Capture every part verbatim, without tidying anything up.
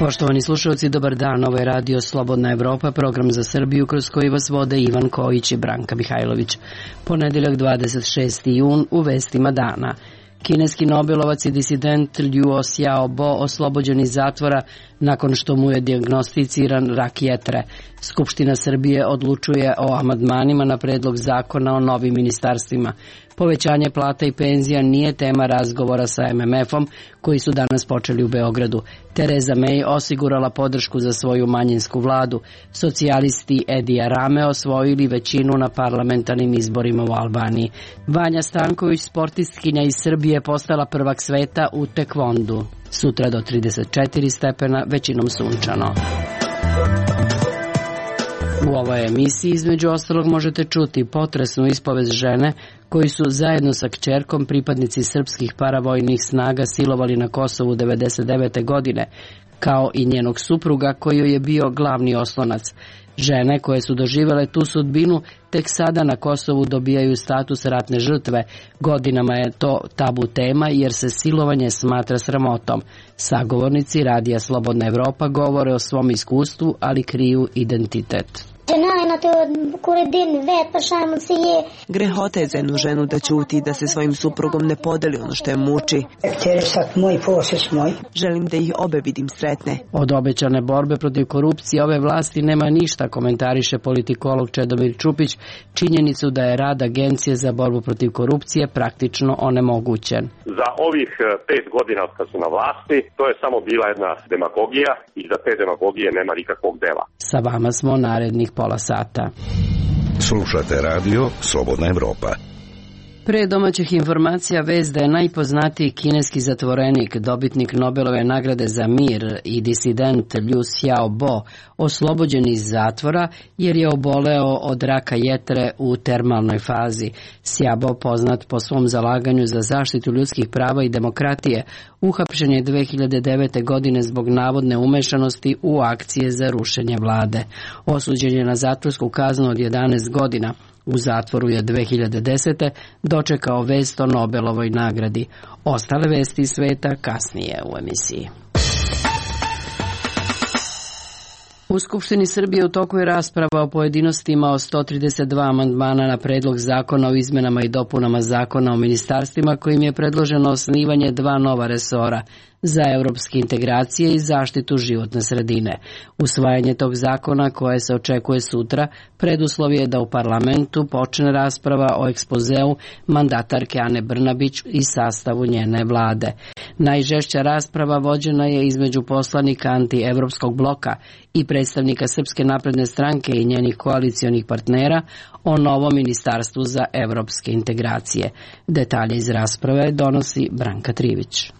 Poštovani slušalci, dobar dan. Ovo je radio Slobodna Evropa, program za Srbiju kroz koji vas vode Ivan Kojić i Branka Mihajlović. Ponedeljak dvadeset šesti jun u vestima dana. Kineski nobelovac i disident Liu Xiaobo oslobođen iz zatvora nakon što mu je dijagnosticiran rak jetre. Skupština Srbije odlučuje o amandmanima na predlog zakona o novim ministarstvima. Povećanje plata i penzija nije tema razgovora sa em em efom koji su danas počeli u Beogradu. Tereza May osigurala podršku za svoju manjinsku vladu. Socijalisti Edija Rame osvojili većinu na parlamentarnim izborima u Albaniji. Vanja Stanković, sportistkinja iz Srbije, postala prvak sveta u tekvondu. Sutra do trideset četiri stepena, većinom sunčano. U ovoj emisiji između ostalog možete čuti potresnu ispovest žene koji su zajedno sa kćerkom pripadnici srpskih paravojnih snaga silovali na Kosovu devedeset devete godine, kao i njenog supruga koji joj je bio glavni oslonac. Žene koje su doživjele tu sudbinu tek sada na Kosovu dobijaju status ratne žrtve. Godinama je to tabu tema jer se silovanje smatra sramotom. Sagovornici Radija Slobodna Evropa govore o svom iskustvu, ali kriju identitet. Grehota je za jednu ženu da ćuti, da se svojim suprugom ne podeli ono što je muči. Želim da ih obe vidim sretne. Od obećane borbe protiv korupcije ove vlasti nema ništa, komentariše politikolog Čedomir Čupić činjenicu da je rad Agencije za borbu protiv korupcije praktično onemogućen. Za ovih pet godina kad su na vlasti, to je samo bila jedna demagogija i za te demagogije nema nikakvog dela. Sa vama smo narednih pola sata. Slušate radio Slobodna Evropa. Pre domaćih informacija vest da je najpoznatiji kineski zatvorenik, dobitnik Nobelove nagrade za mir i disident Liu Xiaobo oslobođen iz zatvora jer je oboleo od raka jetre u termalnoj fazi. Xiaobo, poznat po svom zalaganju za zaštitu ljudskih prava i demokratije, uhapšen je dve hiljade devete. godine zbog navodne umešanosti u akcije za rušenje vlade. Osuđen je na zatvorsku kaznu od jedanaest godina. U zatvoru je dve hiljade desete. dočekao vest o Nobelovoj nagradi. Ostale vesti sveta kasnije u emisiji. U Skupštini Srbije u toku je rasprava o pojedinostima o sto trideset dva amandmana na predlog zakona o izmenama i dopunama zakona o ministarstvima kojim je predloženo osnivanje dva nova resora za evropske integracije i zaštitu životne sredine. Usvajanje tog zakona, koje se očekuje sutra, preduslov je da u parlamentu počne rasprava o ekspozeu mandatarke Ane Brnabić i sastavu njene vlade. Najžešća rasprava vođena je između poslanika anti-evropskog bloka i predstavnika Srpske napredne stranke i njenih koalicionih partnera o novom ministarstvu za evropske integracije. Detalje iz rasprave donosi Branka Trivić.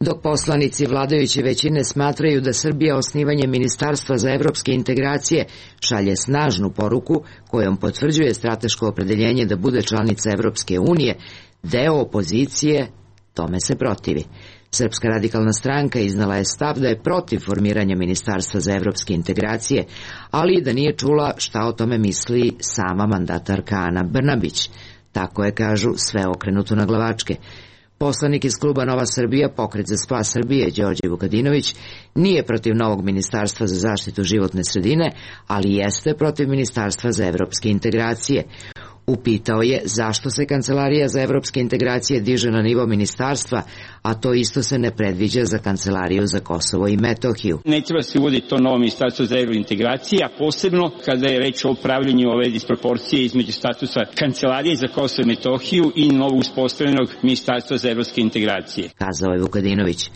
Dok poslanici vladajuće većine smatraju da Srbija osnivanjem Ministarstva za evropske integracije šalje snažnu poruku kojom potvrđuje strateško opredeljenje da bude članica Evropske unije, deo opozicije tome se protivi. Srpska radikalna stranka iznala je stav da je protiv formiranja Ministarstva za evropske integracije, ali i da nije čula šta o tome misli sama mandatarka Ana Brnabić. Tako je, kažu, sve okrenuto na glavačke. Poslanik iz kluba Nova Srbija, Pokret za spas Srbije, Đorđe Vukadinović, nije protiv novog ministarstva za zaštitu životne sredine, ali jeste protiv ministarstva za evropske integracije. Upitao je zašto se Kancelarija za evropske integracije diže na nivo ministarstva, a to isto se ne predviđa za Kancelariju za Kosovo i Metohiju. Ne treba se uvoditi to novo ministarstvo za evropske integracije, a posebno kada je reč o upravljanju ove disproporcije između statusa Kancelarije za Kosovo i Metohiju i novo uspostavljenog ministarstva za evropske integracije. Kazao je Vukadinović.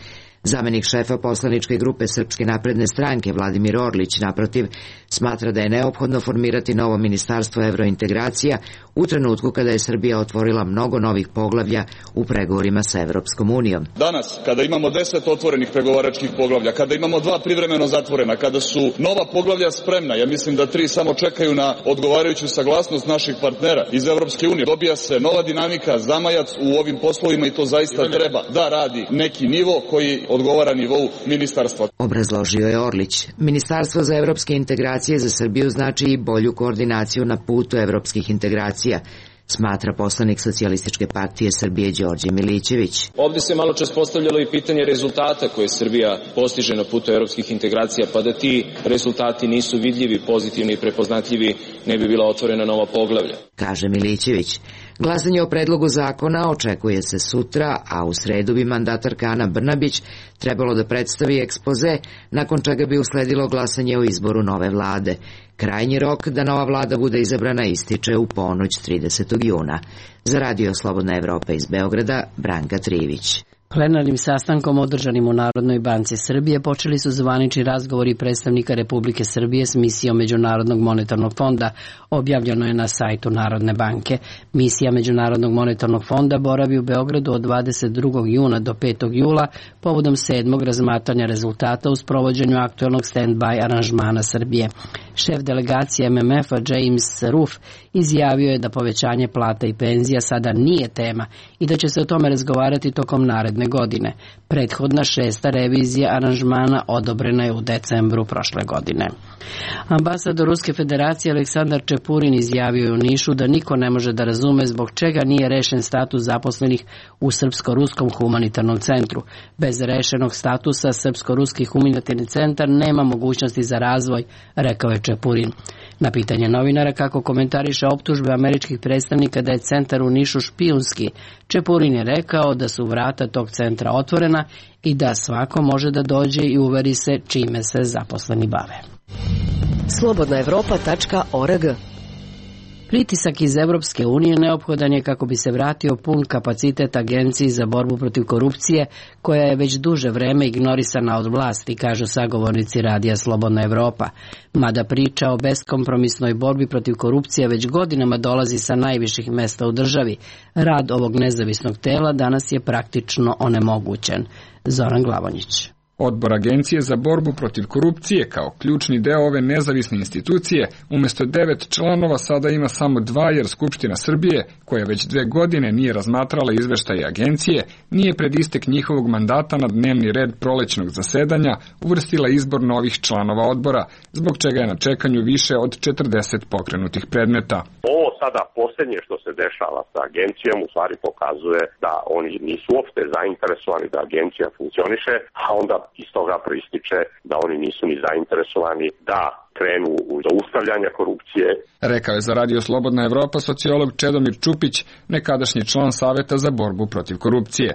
Zamenik šefa poslaničke grupe Srpske napredne stranke Vladimir Orlić, naprotiv, smatra da je neophodno formirati novo ministarstvo evrointegracija u trenutku kada je Srbija otvorila mnogo novih poglavlja u pregovorima sa Evropskom unijom. Danas, kada imamo deset otvorenih pregovaračkih poglavlja, kada imamo dva privremeno zatvorena, kada su nova poglavlja spremna, ja mislim da tri samo čekaju na odgovarajuću saglasnost naših partnera iz Evropske unije, dobija se nova dinamika, zamajac u ovim poslovima i to zaista treba da radi neki nivo koji odgovara nivou ministarstva. Obrazložio je Orlić. Ministarstvo za evropske integracije za Srbiju znači i bolju koordinaciju na putu evropskih integracija. smatra poslanik Socijalističke partije Srbije Đorđe Milićević. Ovde se malo čas postavljalo i pitanje rezultata koje Srbija postiže na putu evropskih integracija, pa da ti rezultati nisu vidljivi, pozitivni i prepoznatljivi, ne bi bila otvorena nova poglavlja, kaže Milićević. Glasanje o predlogu zakona očekuje se sutra, a u sredu bi mandatarka Ana Brnabić trebalo da predstavi ekspoze, nakon čega bi usledilo glasanje o izboru nove vlade. Krajnji rok da nova vlada bude izabrana ističe u ponoć tridesetog juna. Za Radio Slobodna Evropa iz Beograda, Branka Trivić. Plenarnim sastankom održanim u Narodnoj banci Srbije počeli su zvanični razgovori predstavnika Republike Srbije s misijom Međunarodnog monetarnog fonda, objavljeno je na sajtu Narodne banke. Misija Međunarodnog monetarnog fonda boravi u Beogradu od dvadeset drugog juna do petog jula povodom sedmog razmatranja rezultata u sprovođenju aktuelnog stand-by aranžmana Srbije. Šef delegacije M M F-a James Roof izjavio je da povećanje plata i penzija sada nije tema i da će se o tome razgovarati tokom naredne godine. Prethodna šesta revizija aranžmana odobrena je u decembru prošle godine. Ambasador Ruske federacije Aleksandar Čepurin izjavio je u Nišu da niko ne može da razume zbog čega nije rešen status zaposlenih u Srpsko-ruskom humanitarnom centru. Bez rešenog statusa Srpsko-ruski humanitarni centar nema mogućnosti za razvoj, rekao je Čepurin. Na pitanje novinara kako komentariše optužbe američkih predstavnika da je centar u Nišu špijunski, Čepurin je rekao da su vrata tog centra otvorena i da svako može da dođe i uveri se čime se zaposleni bave. slobodna evropa tačka org. Pritisak iz Evropske unije neophodan je kako bi se vratio pun kapacitet Agenciji za borbu protiv korupcije, koja je već duže vreme ignorisana od vlasti, kažu sagovornici Radija Slobodna Evropa. Mada priča o beskompromisnoj borbi protiv korupcije već godinama dolazi sa najviših mesta u državi, rad ovog nezavisnog tela danas je praktično onemogućen. Zoran Glavonjić. Odbor Agencije za borbu protiv korupcije kao ključni deo ove nezavisne institucije umjesto devet članova sada ima samo dva, jer Skupština Srbije, koja već dve godine nije razmatrala izveštaje agencije, nije pred istek njihovog mandata na dnevni red prolećnog zasedanja uvrstila izbor novih članova odbora, zbog čega je na čekanju više od četrdeset pokrenutih predmeta. Ovo sada posljednje što se dešava sa agencijom u stvari pokazuje da oni nisu uopšte zainteresovani da agencija funkcioniše, a onda iz toga proističe da oni nisu ni zainteresovani da krenu u zaustavljanje korupcije. Rekao je za Radio Slobodna Evropa sociolog Čedomir Čupić, nekadašnji član Saveta za borbu protiv korupcije.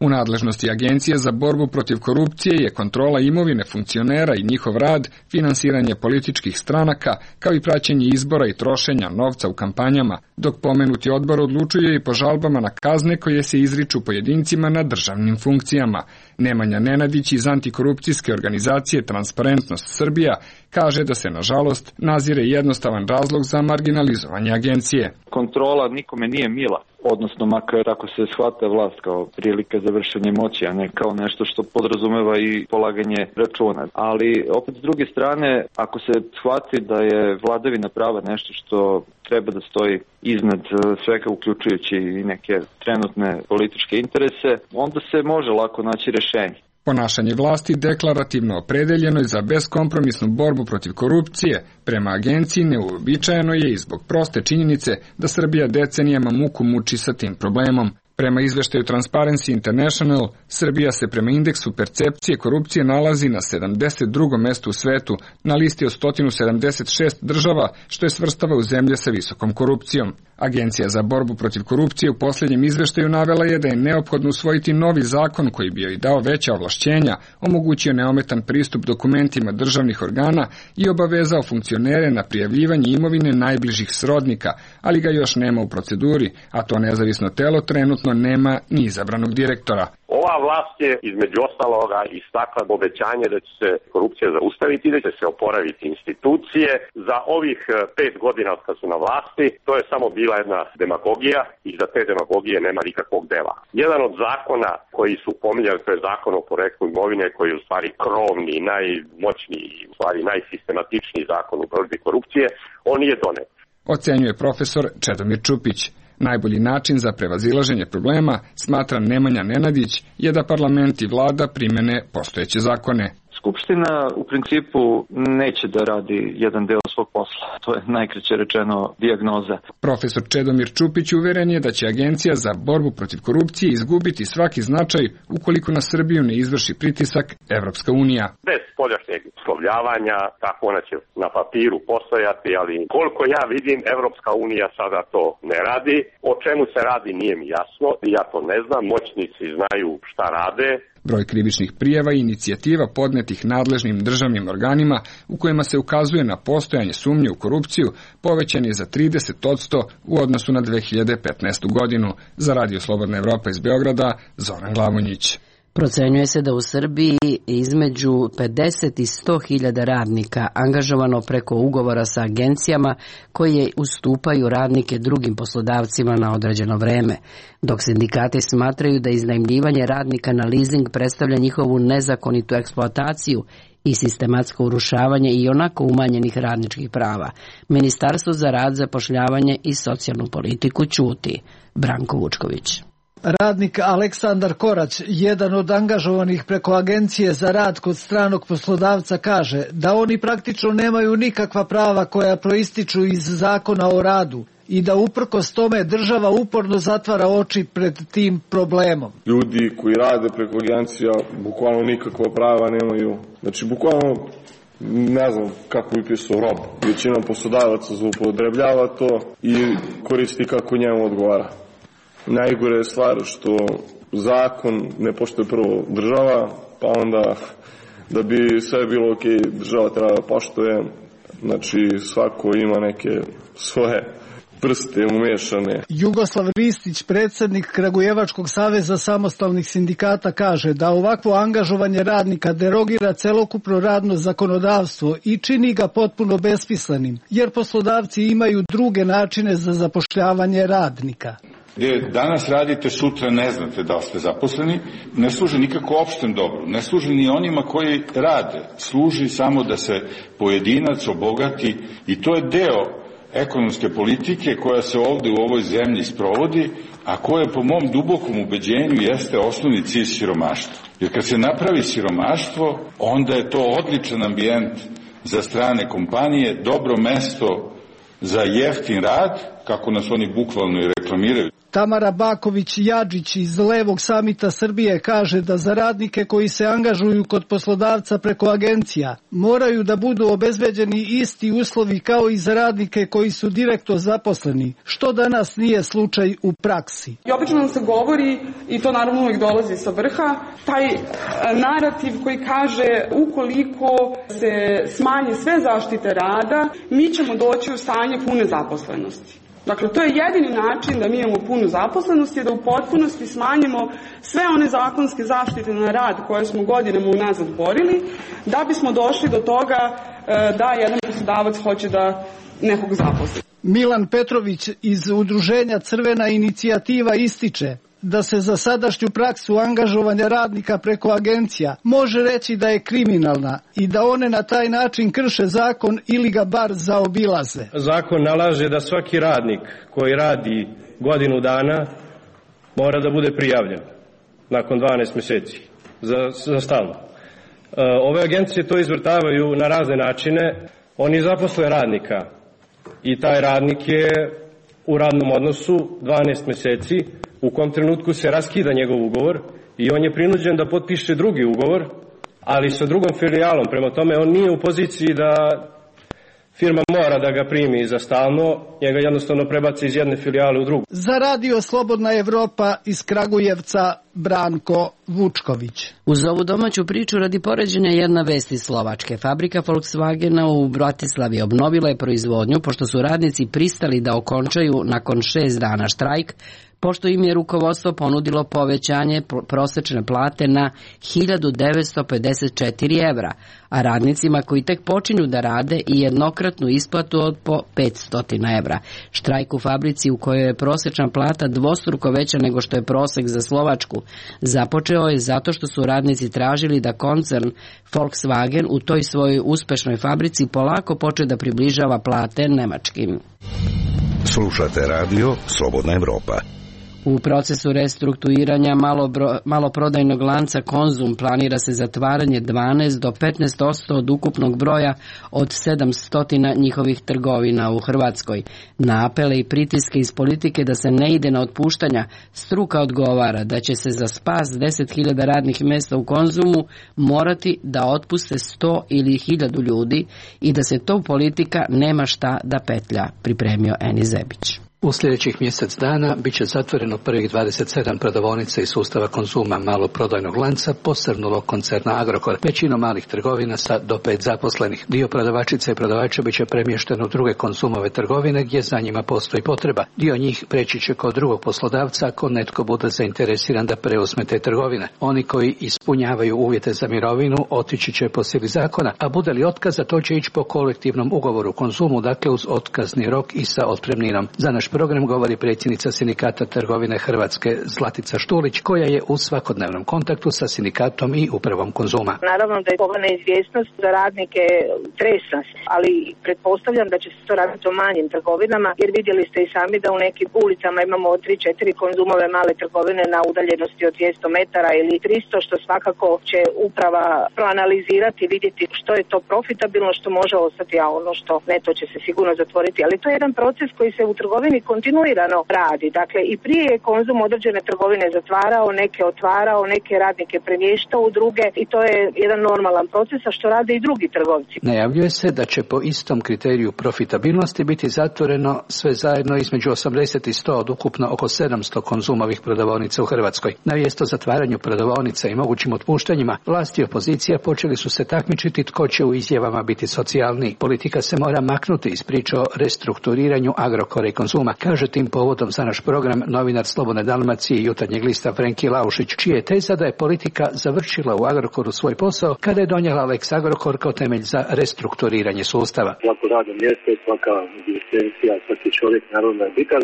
U nadležnosti Agencije za borbu protiv korupcije je kontrola imovine funkcionera i njihov rad, finansiranje političkih stranaka, kao i praćenje izbora i trošenja novca u kampanjama, dok pomenuti odbor odlučuje i po žalbama na kazne koje se izriču pojedincima na državnim funkcijama. Nemanja Nenadić iz antikorupcijske organizacije Transparentnost Srbija kaže da se, nažalost, nazire jednostavan razlog za marginalizovanje agencije. Kontrola nikome nije mila, odnosno makar ako se shvata vlast kao prilika za vršenje moći, a ne kao nešto što podrazumeva i polaganje računa. Ali opet s druge strane, ako se shvati da je vladavina prava nešto što treba da stoji iznad svega, uključujući i neke trenutne političke interese, onda se može lako naći rešenje. Ponašanje vlasti deklarativno opredeljeno je za beskompromisnu borbu protiv korupcije prema agenciji neuobičajeno je i zbog proste činjenice da Srbija decenijama muku muči sa tim problemom. Prema izveštaju Transparency International, Srbija se prema indeksu percepcije korupcije nalazi na sedamdeset drugom mestu u svetu, na listi od sto sedamdeset šest država, što je svrstava u zemlje sa visokom korupcijom. Agencija za borbu protiv korupcije u posljednjem izveštaju navela je da je neophodno usvojiti novi zakon koji bi joj dao veća ovlašćenja, omogućio neometan pristup dokumentima državnih organa i obavezao funkcionere na prijavljivanje imovine najbližih srodnika, ali ga još nema u proceduri, a to nezavisno telo trenutno nema ni izabranog direktora. Ova vlast je između ostaloga istakla obećanje da će se korupcija zaustaviti i da će se oporaviti institucije. Za ovih pet godina od kad su na vlasti, to je samo bila jedna demagogija i za te demagogije nema nikakvog dela. Jedan od zakona koji su pominjali, to je zakon o poreklu imovine, koji je u stvari krovni, najmoćniji, u stvari najsistematičniji zakon u borbi korupcije, on nije donet. Ocenjuje profesor Čedomir Čupić. Najbolji način za prevazilaženje problema, smatra Nemanja Nenadić, je da parlament i vlada primene postojeće zakone. Skupština u principu neće da radi jedan deo svog posla. To je najkraće rečeno dijagnoza. Profesor Čedomir Čupić uveren je da će Agencija za borbu protiv korupcije izgubiti svaki značaj ukoliko na Srbiju ne izvrši pritisak Evropska unija. Bez spoljašnjeg uslovljavanja, tako ona će na papiru postojati, ali koliko ja vidim, Evropska unija sada to ne radi. O čemu se radi nije mi jasno, ja to ne znam, moćnici znaju šta rade. Broj krivičnih prijava i inicijativa podnetih nadležnim državnim organima u kojima se ukazuje na postojanje sumnje u korupciju povećan je za trideset posto u odnosu na dve hiljade petnaestu godinu. Za Radio Slobodna Evropa iz Beograda, Zoran Glavonjić. Procenjuje se da u Srbiji između pedeset i sto hiljada radnika angažovano preko ugovora sa agencijama koje ustupaju radnike drugim poslodavcima na određeno vreme, dok sindikati smatraju da iznajmljivanje radnika na leasing predstavlja njihovu nezakonitu eksploataciju i sistematsko urušavanje i onako umanjenih radničkih prava. Ministarstvo za rad, zapošljavanje i socijalnu politiku ćuti. Branko Vučković. Radnik Aleksandar Korać, jedan od angažovanih preko Agencije za rad kod stranog poslodavca, kaže da oni praktično nemaju nikakva prava koja proističu iz zakona o radu i da uprkos tome država uporno zatvara oči pred tim problemom. Ljudi koji rade preko agencija bukvalno nikakva prava nemaju. Znači, bukvalno ne znam kako bi pisao rob. Većina poslodavaca zloupotrebljava to i koristi kako njemu odgovara. Najgore je stvar što zakon ne poštuje prvo država, pa onda da bi sve bilo ok, država treba da poštuje, znači svako ima neke svoje prste umešane. Jugoslav Ristić, predsjednik Kragujevačkog saveza samostalnih sindikata, kaže da ovakvo angažovanje radnika derogira celokupno radno zakonodavstvo i čini ga potpuno besmislenim, jer poslodavci imaju druge načine za zapošljavanje radnika. Gdje danas radite, sutra ne znate da li ste zaposleni, ne služi nikako opštem dobru, ne služi ni onima koji rade, služi samo da se pojedinac obogati i to je deo ekonomske politike koja se ovde u ovoj zemlji sprovodi, a koja po mom dubokom ubeđenju jeste osnovni cilj siromaštva. Jer kad se napravi siromaštvo, onda je to odličan ambijent za strane kompanije, dobro mesto za jeftin rad, kako nas oni bukvalno i reklamiraju. Tamara Baković-Jadžić iz Levog samita Srbije kaže da za radnike koji se angažuju kod poslodavca preko agencija moraju da budu obezbeđeni isti uslovi kao i za radnike koji su direktno zaposleni, što danas nije slučaj u praksi. I obično nam se govori, i to naravno uvijek dolazi sa vrha, taj narativ koji kaže ukoliko se smanje sve zaštite rada, mi ćemo doći u stanje pune zaposlenosti. Dakle, to je jedini način da mi imamo punu zaposlenost i da u potpunosti smanjimo sve one zakonske zaštite na rad koje smo godinama unazad borili, da bismo došli do toga da jedan poslodavac hoće da nekog zaposli. Milan Petrović iz udruženja Crvena inicijativa ističe da se za sadašnju praksu angažovanja radnika preko agencija može reći da je kriminalna i da one na taj način krše zakon ili ga bar zaobilaze. Zakon nalaže da svaki radnik koji radi godinu dana mora da bude prijavljen nakon dvanaest mjeseci za, za stalno. Ove agencije to izvrtavaju na razne načine. Oni zaposle radnika i taj radnik je u radnom odnosu dvanaest mjeseci, u kom trenutku se raskida njegov ugovor i on je prinuđen da potpiše drugi ugovor, ali sa drugom filijalom. Prema tome, on nije u poziciji da firma mora da ga primi za stalno, njega jednostavno prebaci iz jedne filijale u drugu. Za Radio Slobodna Evropa iz Kragujevca, Branko Vučković. Uz ovu domaću priču radi poređenja jedna vest iz Slovačke. Fabrika Volkswagena u Bratislavi obnovila je proizvodnju pošto su radnici pristali da okončaju nakon šest dana štrajk, pošto im je rukovodstvo ponudilo povećanje prosečne plate na hiljadu devetsto pedeset četiri evra, a radnicima koji tek počinju da rade i jednokratnu isplatu od po petsto evra. Štrajk u fabrici u kojoj je prosečna plata dvostruko veća nego što je prosek za Slovačku započeo je zato što su radnici tražili da koncern Volkswagen u toj svojoj uspešnoj fabrici polako počne da približava plate nemačkim. Slušate radio Slobodna Evropa. U procesu restrukturiranja maloprodajnog lanca Konzum planira se zatvaranje dvanaest do petnaest posto od ukupnog broja od sedamsto njihovih trgovina u Hrvatskoj. Na apele i pritiske iz politike da se ne ide na otpuštanja, struka odgovara da će se za spas deset hiljada radnih mjesta u Konzumu morati da otpuste sto ili hiljadu ljudi i da se to politika nema šta da petlja, pripremio Eni Zebić. U sljedećih mjesec dana bit će zatvoreno prvih dvadeset sedam prodavaonica iz sustava Konzuma maloprodajnog lanca posrnulog koncerna Agrokor, većinom malih trgovina sa do pet zaposlenih. Dio prodavačica i prodavača bit će premješten u druge Konzumove trgovine gdje za njima postoji potreba. Dio njih preći će kod drugog poslodavca ako netko bude zainteresiran da preuzme te trgovine. Oni koji ispunjavaju uvjete za mirovinu otići će po sili zakona, a bude li otkaza to će ići po kolektivnom ugovoru Konzumu, dakle uz otkazni rok i sa otpremninom. Za naš program govori predsjednica Sindikata trgovine Hrvatske Zlatica Štulić, koja je u svakodnevnom kontaktu sa sindikatom i upravom Konzuma. Naravno da je ova neizvjesnost za radnike tresa, ali pretpostavljam da će se to raditi o manjim trgovinama, jer vidjeli ste i sami da u nekim ulicama imamo tri četiri Konzumove male trgovine na udaljenosti od dvjesto metara ili tristo, što svakako će uprava proanalizirati, vidjeti što je to profitabilno, što može ostati, a ono što ne, to će se sigurno zatvoriti. Ali to je jedan proces koji se u trgovini kontinuirano radi. Dakle, i prije je Konzum određene trgovine zatvarao, neke otvarao, neke radnike premještao u druge i to je jedan normalan proces, a što rade i drugi trgovci. Najavljuje se da će po istom kriteriju profitabilnosti biti zatvoreno sve zajedno između osamdeset i sto od ukupno oko sedamsto Konzumovih prodavaonica u Hrvatskoj. Na mjesto zatvaranju prodavaonica i mogućim otpuštanjima, vlast i opozicija počeli su se takmičiti tko će u izjavama biti socijalni. Politika se mora maknuti iz priče o restrukturiranju Agrokora i Konzuma, kaže tim povodom za naš program novinar Slobodne Dalmacije i Jutarnjeg lista Frenki Laušić, čija je teza da je politika završila u Agrokoru svoj posao kada je donijela Lex Agrokor kao temelj za restrukturiranje sustava. Svako radno mjesto, svaka egzistencija, svaki čovjek naravno je bitan.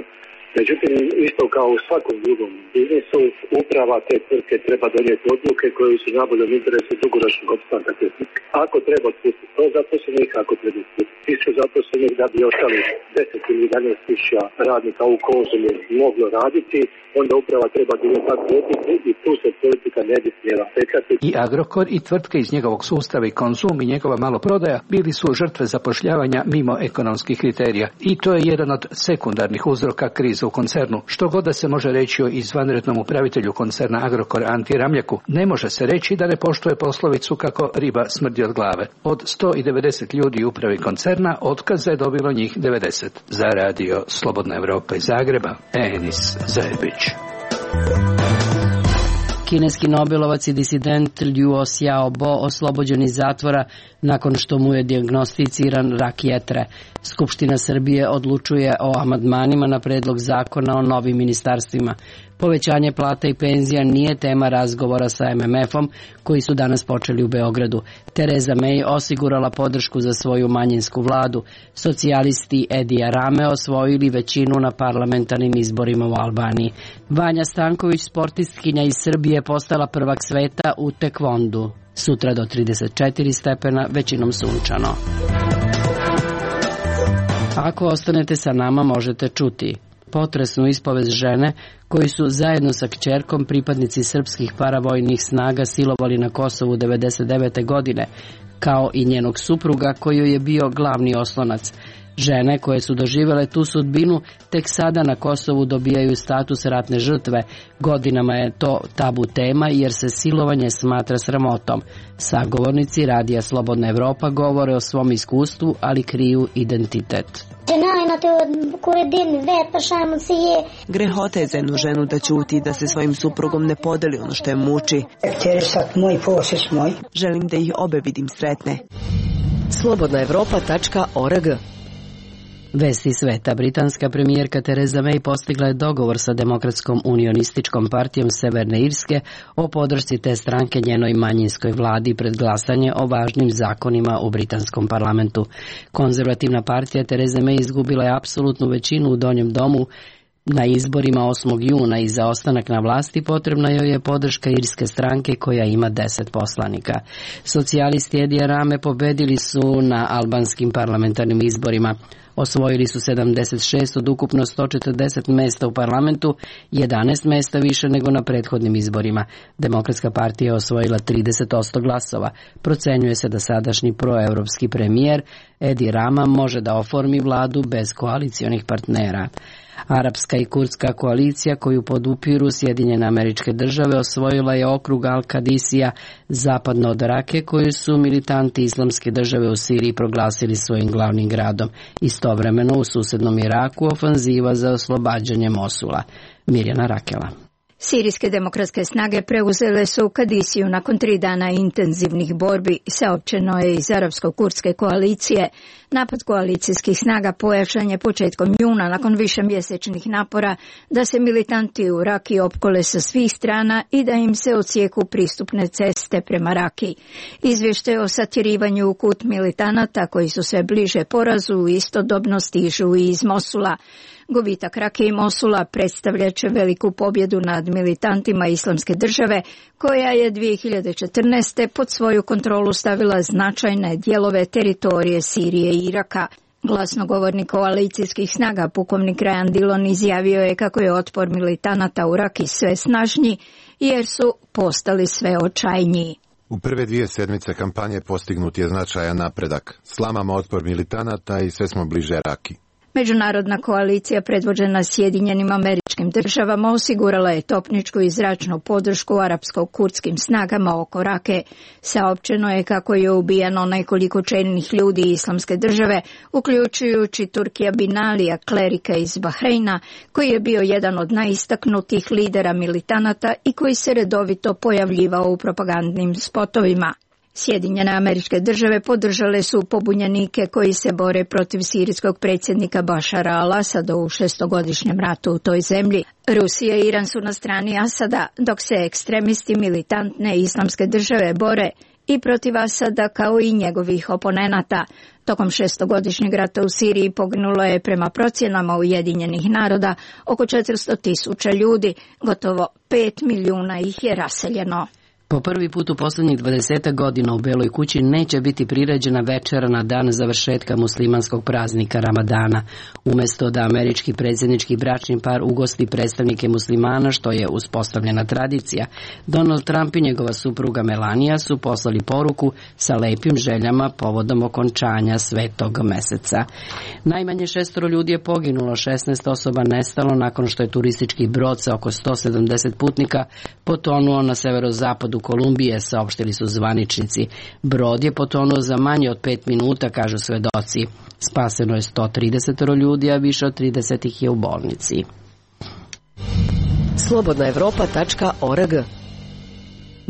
Međutim, isto kao u svakom drugom biznisu, uprava te tvrtke treba donijeti odluke koje su najboljem interesu dugoročnog opstanka te tvrtke. Ako treba otpustiti sto zaposlenih, ako treba otpustiti tisuću zaposlenih da bi ostali deset ili jedanaest tisuća radnika u Konzumu moglo raditi, onda uprava treba donijeti takvu odluku i tu se politika ne bi smjela petljati. I Agrokor i tvrtke iz njegovog sustava i Konzum i njegova maloprodaja bili su žrtve zapošljavanja mimo ekonomskih kriterija. I to je jedan od sekundarnih uzroka krize u koncernu. Što god da se može reći o izvanrednom upravitelju koncerna Agrokor Anti Ramljaku, ne može se reći da ne poštuje poslovicu kako riba smrdi od glave. Od sto devedeset ljudi u upravi koncerna otkaza je dobilo njih devedeset. Za radio Slobodna Evropa iz Zagreba, Enis Zajebić. Kineski nobelovac i disident Liu Xiaobo oslobođen iz zatvora nakon što mu je dijagnosticiran rak jetre. Skupština Srbije odlučuje o amandmanima na predlog zakona o novim ministarstvima. Povećanje plata i penzija nije tema razgovora sa em em efom koji su danas počeli u Beogradu. Tereza May osigurala podršku za svoju manjinsku vladu. Socijalisti Edija Rame osvojili većinu na parlamentarnim izborima u Albaniji. Vanja Stanković, sportistkinja iz Srbije, postala prvak sveta u tekvondu. Sutra do trideset četiri stepena, većinom sunčano. Ako ostanete sa nama, možete čuti potresnu ispovest žene koji su zajedno sa kćerkom pripadnici srpskih paravojnih snaga silovali na Kosovu devedeset devete godine, kao i njenog supruga koji je bio glavni oslonac. Žene koje su doživjele tu sudbinu tek sada na Kosovu dobijaju status ratne žrtve. Godinama je to tabu tema jer se silovanje smatra sramotom. Sagovornici Radija Slobodna Evropa govore o svom iskustvu, ali kriju identitet. Grehota je za jednu ženu da ćuti, da se svojim suprugom ne podeli ono što je muči. Želim da ih obe vidim sretne. slobodna evropa tačka org. Vesti sveta. Britanska premijerka Tereza May postigla je dogovor sa Demokratskom unionističkom partijom Severne Irske o podršci te stranke njenoj manjinskoj vladi pred glasanje o važnim zakonima u britanskom parlamentu. Konzervativna partija Tereze May izgubila je apsolutnu većinu u Donjem domu Na izborima osmog juna i za ostanak na vlasti potrebna joj je podrška irske stranke koja ima deset poslanika. Socijalisti Edija Rame pobedili su na albanskim parlamentarnim izborima. Osvojili su sedamdeset šest od ukupno sto četrdeset mesta u parlamentu, jedanaest mesta više nego na prethodnim izborima. Demokratska partija je osvojila trideset posto glasova. Procenjuje se da sadašnji proevropski premijer Edi Rama može da oformi vladu bez koalicionih partnera. Arapska i kurdska koalicija koju podupiru Sjedinjene Američke Države osvojila je okrug Al-Kadisija zapadno od Rake koju su militanti Islamske države u Siriji proglasili svojim glavnim gradom. Istovremeno u susednom Iraku ofanziva za oslobađanje Mosula. Mirjana Rakela. Sirijske demokratske snage preuzele su Kadisiju nakon tri dana intenzivnih borbi, saopćeno je iz arapsko-kurdske koalicije. Napad koalicijskih snaga pojačan je početkom juna nakon višemjesečnih napora da se militanti u Raki opkole sa svih strana i da im se odsjeku pristupne ceste prema Raki. Izvještaj o satjerivanju u kut militanata koji su sve bliže porazu istodobno stižu i iz Mosula. Gubitak Rake i Mosula predstavljat će veliku pobjedu nad militantima Islamske države, koja je dvije hiljade četrnaeste. pod svoju kontrolu stavila značajne dijelove teritorije Sirije i Iraka. Glasnogovornik koalicijskih snaga pukovnik Ryan Dillon izjavio je kako je otpor militanata u Raki sve snažniji jer su postali sve očajniji. U prve dvije sedmice kampanje postignut je značajan napredak. Slamamo otpor militanata i sve smo bliže Raki. Međunarodna koalicija predvođena Sjedinjenim Američkim Državama osigurala je topničku i zračnu podršku arapsko-kurdskim snagama oko Rake. Saopćeno je kako je ubijeno nekoliko čelnih ljudi Islamske države, uključujući Turkija bin Alija, klerika iz Bahreina, koji je bio jedan od najistaknutijih lidera militanata i koji se redovito pojavljivao u propagandnim spotovima. Sjedinjene Američke Države podržale su pobunjenike koji se bore protiv sirijskog predsjednika Bašara al-Asada u šestogodišnjem ratu u toj zemlji. Rusija i Iran su na strani Asada, dok se ekstremisti militantne Islamske države bore i protiv Asada kao i njegovih oponenata. Tokom šestogodišnjeg rata u Siriji poginulo je prema procjenama Ujedinjenih naroda oko četiristo tisuća ljudi, gotovo pet milijuna ih je raseljeno. Po prvi put u posljednjih dvadeset godina u Beloj kući neće biti priređena večera na dan završetka muslimanskog praznika Ramadana. Umjesto da američki predsjednički bračni par ugosti predstavnike muslimana, što je uspostavljena tradicija, Donald Trump i njegova supruga Melania su poslali poruku sa lepim željama povodom okončanja svetog meseca. Najmanje šestoro ljudi je poginulo, šesnaest osoba nestalo nakon što je turistički brod sa oko sto sedamdeset putnika potonuo na severozapadu Kolumbije, saopštili su zvaničnici. Brod je potonuo za manje od pet minuta, kažu svedoci. Spaseno je sto trideset ljudi, a više od trideset ih je u bolnici. slobodna evropa tačka org.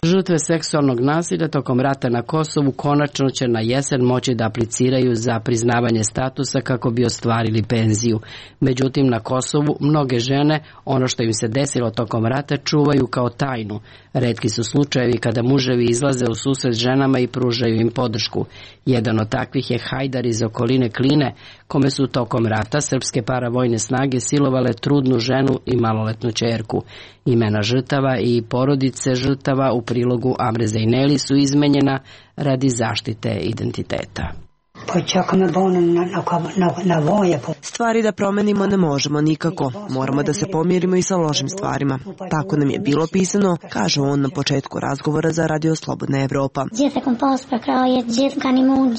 Žrtve seksualnog nasilja tokom rata na Kosovu konačno će na jesen moći da apliciraju za priznavanje statusa kako bi ostvarili penziju. Međutim, na Kosovu mnoge žene ono što im se desilo tokom rata čuvaju kao tajnu. Retki su slučajevi kada muževi izlaze u susret ženama i pružaju im podršku. Jedan od takvih je Hajdar iz okoline Kline, kome su tokom rata srpske paravojne snage silovale trudnu ženu i maloletnu ćerku. Imena žrtava i porodice žrtava u prilogu Amre Zejneli su izmenjena radi zaštite identiteta. Stvari da promenimo ne možemo nikako. Moramo da se pomirimo i sa lošim stvarima. Tako nam je bilo pisano, kaže on na početku razgovora za Radio Slobodna Evropa.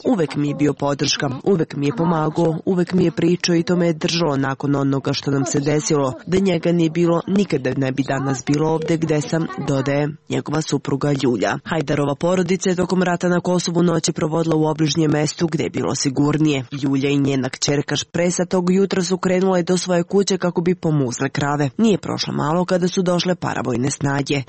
Uvek mi je bio podrška, uvek mi je pomagao, uvek mi je pričao i to me je držalo nakon onoga što nam se desilo. Da njega nije bilo, nikada ne bi danas bilo ovde gde sam, dodaje njegova supruga Ljulja. Hajdarova porodica je tokom rata na Kosovu noći provodila u obližnjem mestu gde je bilo sigurnije. Ljulja i njena kćerka Špresa tog jutra su krenule do svoje kuće kako bi pomuzle krave. Nije prošlo malo kada su došle paravojne snage.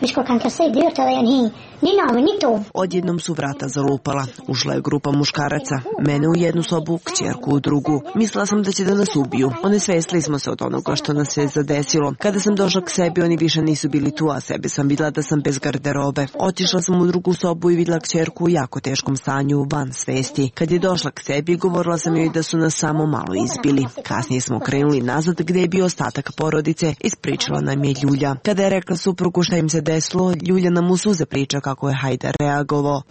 Odjednom su vrata zalupala. Ušla je grupa muškaraca. Mene u jednu sobu, kćerku u drugu. Mislila sam da će da nas ubiju. Onesvestili smo se od onoga što nas se zadesilo. Kada sam došla k sebi, oni više nisu bili tu, a sebe sam videla da sam bez garderobe. Otišla sam u drugu sobu i videla kćerku u jako teškom stanju, van svesti. Kad je došla Odlazak k sebi, govorila sam joj da su nas samo malo izbili. Kasnije smo krenuli nazad gde je bio ostatak porodice, ispričala nam je Ljulja. Kada je rekla suprugu šta im se desilo, Ljulja nam u suze priča kako je Hajdar reagovao.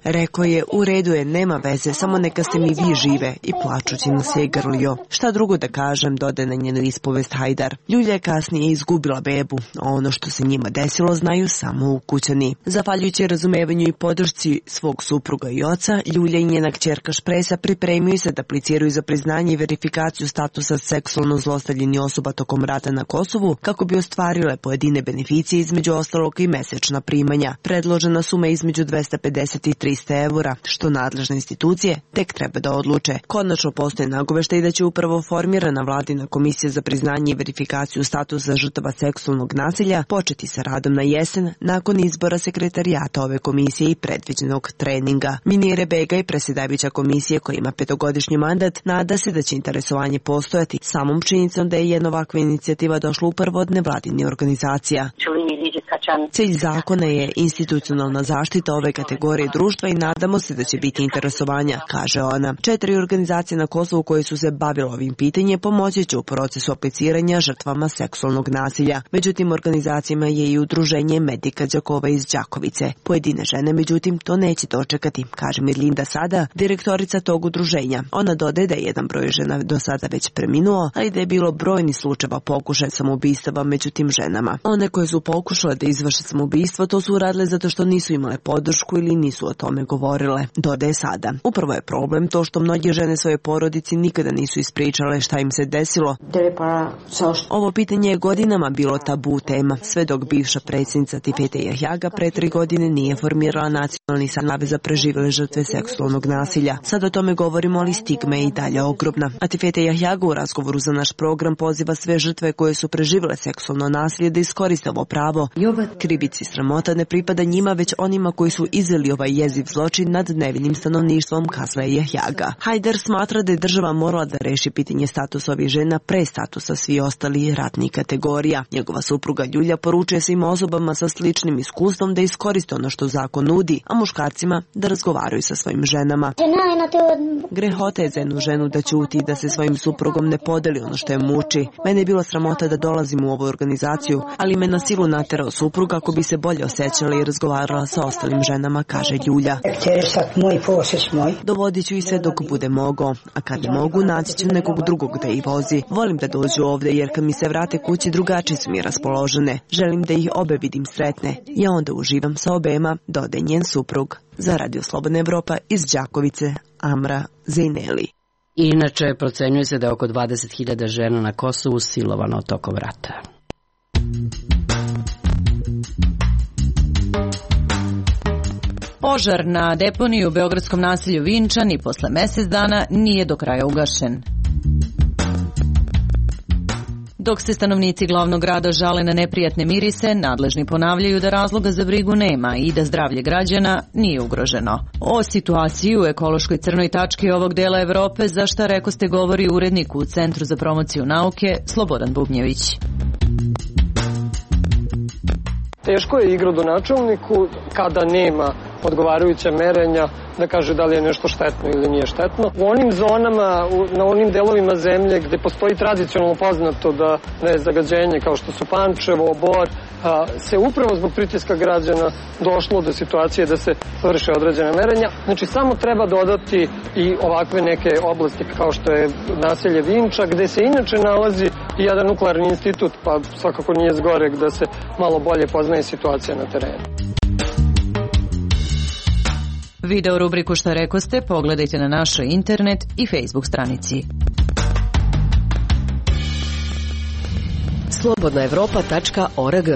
Rekao je, u redu je, nema veze, samo neka ste mi vi žive, i plačući nas je grlio. Šta drugo da kažem, dode na njenu ispovest Hajdar. Ljulja je kasnije izgubila bebu, a ono što se njima desilo znaju samo ukućani. Zahvaljujući razumevanju i podršci svog supruga i oca, Ljulja i njena kćerka Špresa pripremio se da apliciraju za priznanje i verifikaciju statusa seksualno zlostavljenih osoba tokom rata na Kosovu, kako bi ostvarile pojedine beneficije, između ostalog i mesečna primanja. Predložena suma između dvesta pedeset i trista evra, što nadležne institucije tek treba da odluče. Konačno postoje nagoveštaj da će upravo formirana vladina komisija za priznanje i verifikaciju statusa žrtava seksualnog nasilja početi sa radom na jesen nakon izbora sekretarijata ove komisije i predviđenog treninga. Minire Begaj, predsjedavajuća komisije koja ima petogodišnji mandat, nada se da će interesovanje postojati samom činjenicom da je jedna ovakva inicijativa došla upravo od nevladinih organizacija. Cilj zakona je institucionalna zaštita ove kategorije društva i nadamo se da će biti interesovanja, kaže ona. Četiri organizacije na Kosovu koje su se bavile ovim pitanjem pomoći će u procesu apliciranja žrtvama seksualnog nasilja. Međutim, organizacijama je i udruženje Medika Đakova iz Đakovice. Pojedine žene, međutim, to neće dočekati, kaže Mirlinda Sada, direktorica tog udruženja. Ona dodaje da je jedan broj žena do sada već preminuo, ali da je bilo brojni slučajeva pokušaja samoubistava među tim ženama. One koje su pokušale da izvrše samoubistvo, to su uradile zato što nisu imale podršku ili nisu o tome govorile, dodaje Sada. Upravo je problem to što mnoge žene svoje porodici nikada nisu ispričale šta im se desilo. Ovo pitanje je godinama bilo tabu tema, sve dok bivša predsjednica Tifete Jahjaga pre tri godine nije formirala nacionalni savez za preživele žrtve seksualnog nasilja. Sad o tome govorimo, ali stigma je i dalje ogromna. A Tifete Jahjaga u razgovoru za naš program poziva sve žrtve koje su preživele seksualno nasilje da iskoriste ovo pravo. Krivici sramota ne pripada njima, već onima koji su izveli ovaj jeziv zločin nad nevinim stanovništvom, kazala je Jahjaga. Hajdar smatra da je država morala da reši pitanje statusa ovih žena pre statusa svi ostali ratnih kategorija. Njegova supruga Ljulja poručuje svim osobama sa sličnim iskustvom da iskoriste ono što zakon nudi, a muškarcima da razgovaraju sa svojim ženama. Grehota je za jednu ženu da ćuti i da se svojim suprugom ne podeli ono što je muči. Mene je bilo sramota da dolazim u ovu organizaciju, ali me na silu naterao suprug kako bi se bolje osjećala i razgovarala sa ostalim ženama, kaže Ljulja. Dovodit ću i sve dok bude mogao, a kad ne mogu, naći ću nekog drugog da ih vozi. Volim da dođu ovde jer kad mi se vrate kući drugačije su mi raspoložene. Želim da ih obe vidim sretne. Ja onda uživam sa obema, dodaje njen suprug. Za Radio Slobodna Evropa iz Đakovice, Amra Zejneli. Inače, procenjuje se da je oko dvadeset hiljada žena na Kosovu silovano tokom rata. Požar na deponiji u beogradskom naselju Vinčan i posle mesec dana nije do kraja ugašen. Dok se stanovnici glavnog grada žale na neprijatne mirise, nadležni ponavljaju da razloga za brigu nema i da zdravlje građana nije ugroženo. O situaciji u ekološkoj crnoj tački ovog dela Evrope, za šta rekoste govori urednik u Centru za promociju nauke Slobodan Bubnjević. Teško je igradonačelniku kada nema odgovarajuća merenja da kaže da li je nešto štetno ili nije štetno. U onim zonama, na onim delovima zemlje gde postoji tradicionalno poznato da, da je zagađenje kao što su Pančevo, Bor, a, se upravo zbog pritiska građana došlo do situacije da se vrše određene merenja. Znači samo treba dodati i ovakve neke oblasti kao što je naselje Vinča, gde se inače nalazi i jedan nuklearni institut, pa svakako nije zgorek da se malo bolje poznaje situacija na terenu. Video rubriku Šta rekoste pogledajte na našoj internet i Facebook stranici. slobodna evropa tačka org.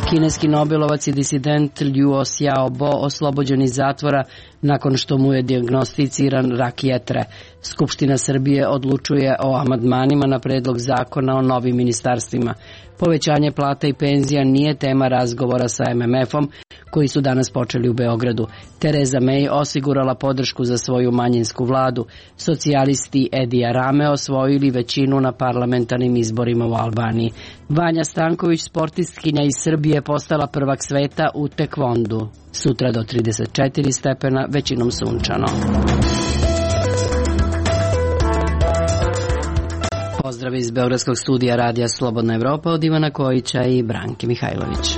Kineski nobelovac i disident Liu Xiaobo oslobođen iz zatvora nakon što mu je dijagnosticiran rak jetre. Skupština Srbije odlučuje o amandmanima na predlog zakona o novim ministarstvima. Povećanje plata i penzija nije tema razgovora sa em em efom koji su danas počeli u Beogradu. Tereza May osigurala podršku za svoju manjinsku vladu. Socijalisti Edija Rame osvojili većinu na parlamentarnim izborima u Albaniji. Vanja Stanković, sportistkinja iz Srbije, postala prvak sveta u tekvondu. Sutra do trideset četiri stepena, većinom sunčano. Pozdrav iz Beogradskog studija Radija Slobodna Evropa od Ivana Kojića i Branke Mihajlović.